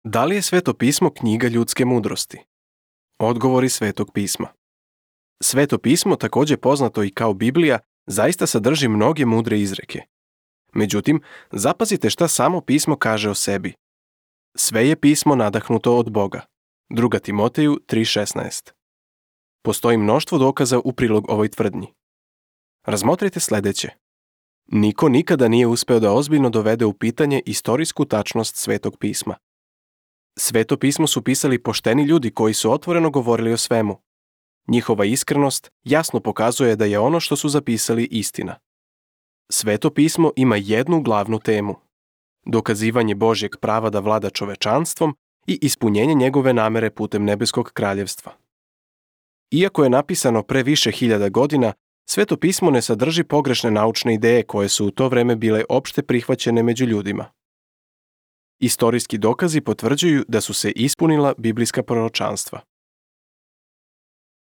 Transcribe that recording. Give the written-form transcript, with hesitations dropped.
Da li je Sveto pismo knjiga ljudske mudrosti? Odgovori Svetog pisma. Sveto pismo, također poznato i kao Biblija, zaista sadrži mnoge mudre izreke. Međutim, zapazite šta samo pismo kaže o sebi. Sve je pismo nadahnuto od Boga. 2. Timoteju 3.16. Postoji mnoštvo dokaza u prilog ovoj tvrdnji. Razmotrite sljedeće. Niko nikada nije uspeo da ozbiljno dovede u pitanje istorijsku tačnost Svetog pisma. Sveto pismo su pisali pošteni ljudi koji su otvoreno govorili o svemu. Njihova iskrenost jasno pokazuje da je ono što su zapisali istina. Sveto pismo ima jednu glavnu temu: dokazivanje Božjeg prava da vlada čovečanstvom i ispunjenje njegove namere putem nebeskog kraljevstva. Iako je napisano pre više hiljada godina, Sveto pismo ne sadrži pogrešne naučne ideje koje su u to vreme bile opšte prihvaćene među ljudima. Istorijski dokazi potvrđuju da su se ispunila biblijska proročanstva.